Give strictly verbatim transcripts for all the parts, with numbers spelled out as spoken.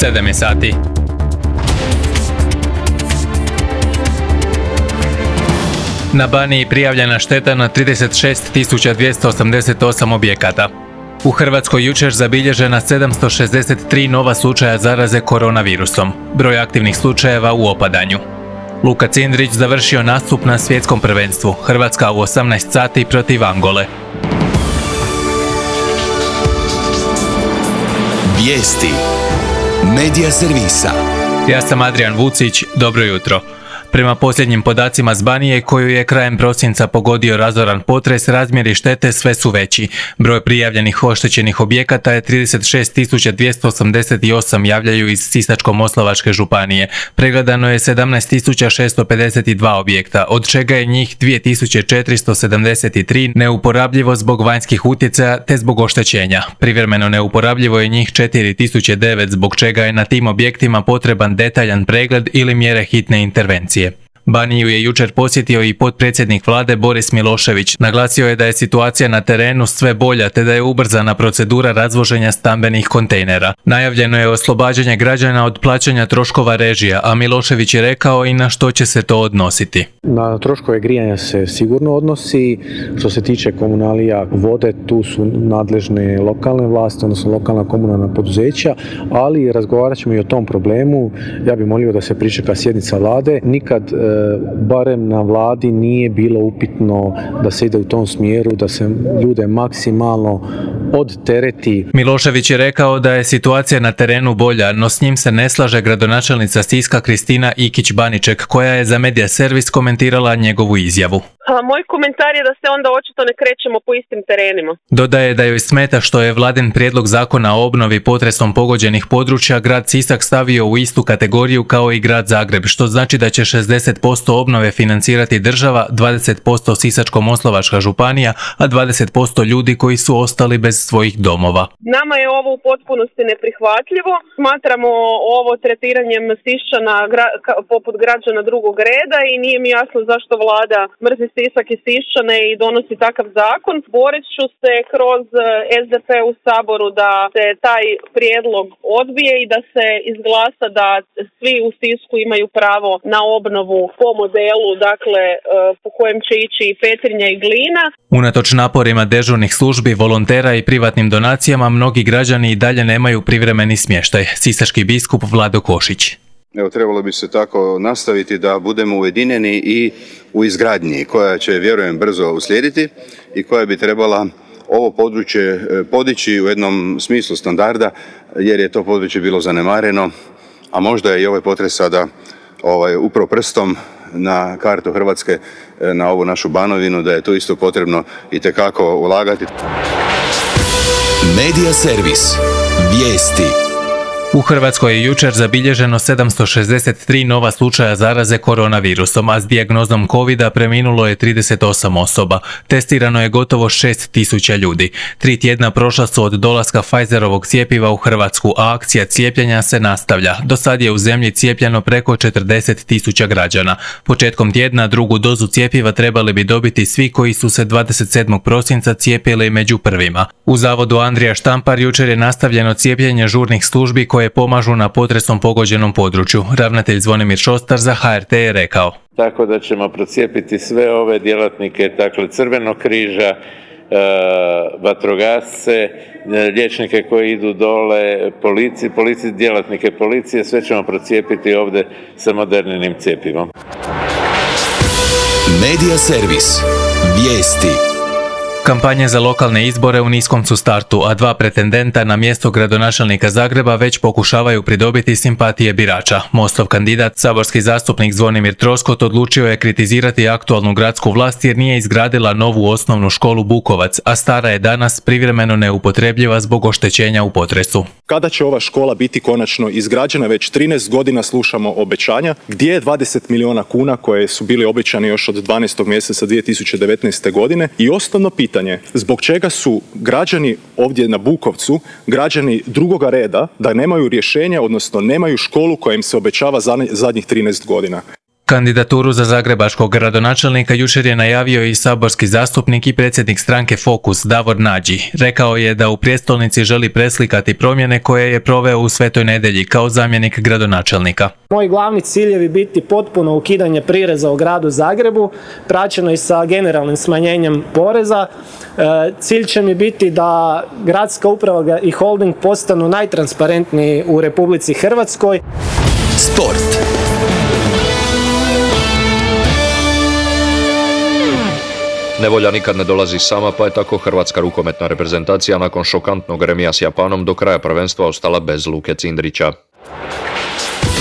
sedam je sati. Na Baniji prijavljena šteta na trideset šest tisuća dvjesto osamdeset osam objekata. U Hrvatskoj jučer zabilježena sedamsto šezdeset tri nova slučaja zaraze koronavirusom. Broj aktivnih slučajeva u opadanju. Luka Cindrić završio nastup na svjetskom prvenstvu. Hrvatska u osamnaest sati protiv Angole. Vijesti Medija servisa. Ja sam Adrian Vucić, dobro jutro. Prema posljednjim podacima s Banije, koju je krajem prosinca pogodio razoran potres, razmjeri štete sve su veći. Broj prijavljenih oštećenih objekata je trideset šest tisuća dvjesto osamdeset osam, javljaju iz Sisačko-moslavačke županije. Pregledano je sedamnaest tisuća šesto pedeset dva objekta, od čega je njih dvije tisuće četiristo sedamdeset tri neuporabljivo zbog vanjskih utjecaja te zbog oštećenja. Privremeno neuporabljivo je njih četiri tisuće devet, zbog čega je na tim objektima potreban detaljan pregled ili mjere hitne intervencije. Baniju je jučer posjetio i potpredsjednik vlade Boris Milošević. Naglasio je da je situacija na terenu sve bolja te da je ubrzana procedura razvoženja stambenih kontejnera. Najavljeno je oslobađanje građana od plaćanja troškova režija, a Milošević je rekao i na što će se to odnositi. Na troškove grijanja se sigurno odnosi. Što se tiče komunalija, vode, tu su nadležne lokalne vlasti, odnosno lokalna komunalna poduzeća, ali razgovarat ćemo i o tom problemu. Ja bih molio da se pričeka sjednica vlade. Nikad barem na vladi nije bilo upitno da se ide u tom smjeru, da se ljude maksimalno odtereti. Milošević je rekao da je situacija na terenu bolja, no s njim se ne slaže gradonačelnica Siska Kristina Ikić-Baniček, koja je za Medija servis komentirala njegovu izjavu. A moj komentar je da se onda očito ne krećemo po istim terenima. Dodaje da joj smeta što je vladin prijedlog zakona o obnovi potresom pogođenih područja grad Sisak stavio u istu kategoriju kao i grad Zagreb, što znači da će šezdeset posto obnove financirati država, dvadeset posto Sisačko-moslavačka županija, a dvadeset posto ljudi koji su ostali bez svojih domova. Nama je ovo u potpunosti neprihvatljivo. Smatramo ovo tretiranjem Siščana gra- poput građana drugog reda i nije mi jasno zašto vlada mrzi Sisak i Siščane i donosi takav zakon. Borit ću se kroz es de pe u Saboru da se taj prijedlog odbije i da se izglasa da svi u Sisku imaju pravo na obnovu po modelu, dakle, po kojem će ići i Petrinja i Glina. Unatoč naporima dežurnih službi, volontera i privatnim donacijama, mnogi građani i dalje nemaju privremeni smještaj. Sisački biskup Vlado Košić. Evo, trebalo bi se tako nastaviti da budemo ujedinjeni i u izgradnji koja će, vjerujem, brzo uslijediti i koja bi trebala ovo područje podići u jednom smislu standarda, jer je to područje bilo zanemareno, a možda je i ovaj potres sada ovaj, upro prstom na kartu Hrvatske, na ovu našu Banovinu, da je tu isto potrebno itekako ulagati. Medija servis. Vijesti. U Hrvatskoj je jučer zabilježeno sedamsto šezdeset tri nova slučaja zaraze koronavirusom, a s dijagnozom covida preminulo je trideset osam osoba. Testirano je gotovo šest tisuća ljudi. Tri tjedna prošla su od dolaska Pfizerovog cjepiva u Hrvatsku, a akcija cijepljenja se nastavlja. Do sad je u zemlji cijepljeno preko četrdeset tisuća građana. Početkom tjedna drugu dozu cjepiva trebali bi dobiti svi koji su se dvadeset sedmog prosinca cijepili među prvima. U zavodu Andrija Štampar jučer je nastavljeno cijepljenje žurnih službi koje pomažu na potresom pogođenom području. Ravnatelj Zvonimir Šostar za ha er te je rekao. Tako da ćemo procijepiti sve ove djelatnike, dakle Crvenog križa, e, vatrogasce, liječnike koji idu dole, policiji, polici, djelatnike policije, sve ćemo procijepiti ovdje sa modernim cjepivom. Medija servis. Vijesti. Kampanje za lokalne izbore u niskom su startu, a dva pretendenta na mjesto gradonačelnika Zagreba već pokušavaju pridobiti simpatije birača. Mostov kandidat, saborski zastupnik Zvonimir Troskot, odlučio je kritizirati aktualnu gradsku vlast jer nije izgradila novu osnovnu školu Bukovac, a stara je danas privremeno neupotrebljiva zbog oštećenja u potresu. Kada će ova škola biti konačno izgrađena? Već trinaest godina slušamo obećanja. Gdje je dvadeset milijuna kuna koje su bili obećani još od dvanaestog mjeseca dvije tisuće devetnaeste. godine? I osnovno pitanje, zbog čega su građani ovdje na Bukovcu, građani drugoga reda, da nemaju rješenja, odnosno nemaju školu koja im se obećava zadnjih trinaest godina? Kandidaturu za zagrebačkog gradonačelnika jučer je najavio i saborski zastupnik i predsjednik stranke Fokus Davor Nađi. Rekao je da u prijestolnici želi preslikati promjene koje je proveo u Svetoj Nedelji kao zamjenik gradonačelnika. Moji glavni ciljevi biti potpuno ukidanje prireza u gradu Zagrebu, praćeno i sa generalnim smanjenjem poreza. Cilj će mi biti da gradska uprava i holding postanu najtransparentniji u Republici Hrvatskoj. Sport. Nevolja nikad ne dolazi sama, pa je tako hrvatska rukometna reprezentacija nakon šokantnog remija s Japanom do kraja prvenstva ostala bez Luke Cindrića.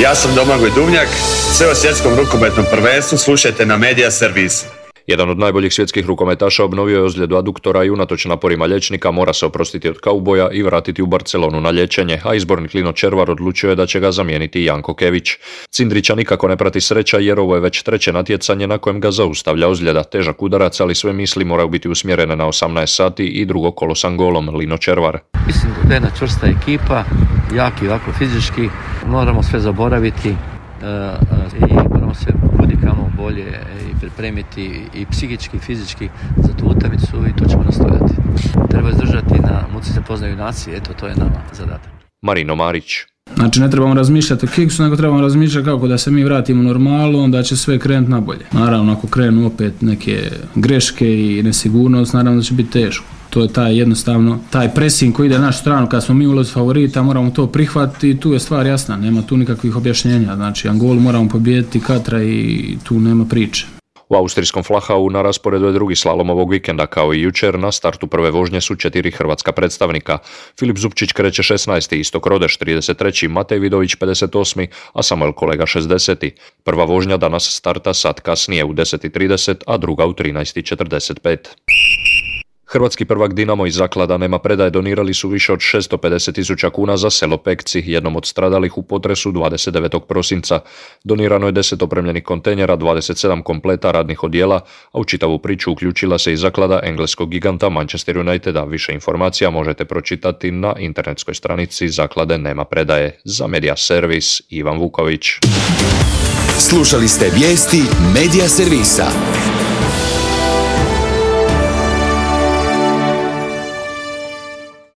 Ja sam Domagoj Duvnjak, sve o svjetskom rukometnom prvenstvu slušajte na Media Servis. Jedan od najboljih svjetskih rukometaša obnovio je ozljedu aduktora i unatoč naporima liječnika mora se oprostiti od kauboja i vratiti u Barcelonu na liječenje, a izbornik Lino Červar odlučio je da će ga zamijeniti Janko Kević. Cindrića nikako ne prati sreća jer ovo je već treće natjecanje na kojem ga zaustavlja ozljeda, težak udarac, ali sve misli moraju biti usmjerene na osamnaest sati i drugo kolo s Angolom. Lino Červar. Mislim da je jedna čvrsta ekipa, jaki ovako fizički, moramo sve zaboraviti uh, i moramo se kudikamo bolje i pripremiti i psihički i fizički za tu utakmicu i to ćemo nastojati. Treba izdržati na muci se poznaju nacije, eto to je nama zadatak. Marino Marić. Znači ne trebamo razmišljati o kiksu, nego trebamo razmišljati kako da se mi vratimo u normalu, onda će sve krenuti nabolje. Naravno ako krenu opet neke greške i nesigurnost, naravno da će biti teško. To je taj jednostavno, taj pressing koji ide na našu stranu kad smo mi ulozi favorita, moramo to prihvatiti i tu je stvar jasna, nema tu nikakvih objašnjenja. Znači Angolu moramo pobijediti Katra i tu nema priče. U austrijskom Flachau na rasporedu je drugi slalom ovog vikenda, kao i jučer. Na startu prve vožnje su četiri hrvatska predstavnika. Filip Zupčić kreće šesnaesti, Istok Rodeš trideset treći, Matej Vidović pedeset osmi, a Samuel Kolega šezdeseti. Prva vožnja danas starta sat kasnije u deset i trideset, a druga u trinaest i četrdeset pet. Hrvatski prvak Dinamo iz Zaklada Nema predaje donirali su više od šesto pedeset tisuća kuna za selo Pekci, jednom od stradalih u potresu dvadeset devetog prosinca. Donirano je deset opremljenih kontejnera, dvadeset sedam kompleta radnih odjela, a u čitavu priču uključila se i zaklada engleskog giganta Manchester Uniteda. Više informacija možete pročitati na internetskoj stranici Zaklade Nema predaje. Za Media Servis, Ivan Vuković. Slušali ste vijesti Media Servisa.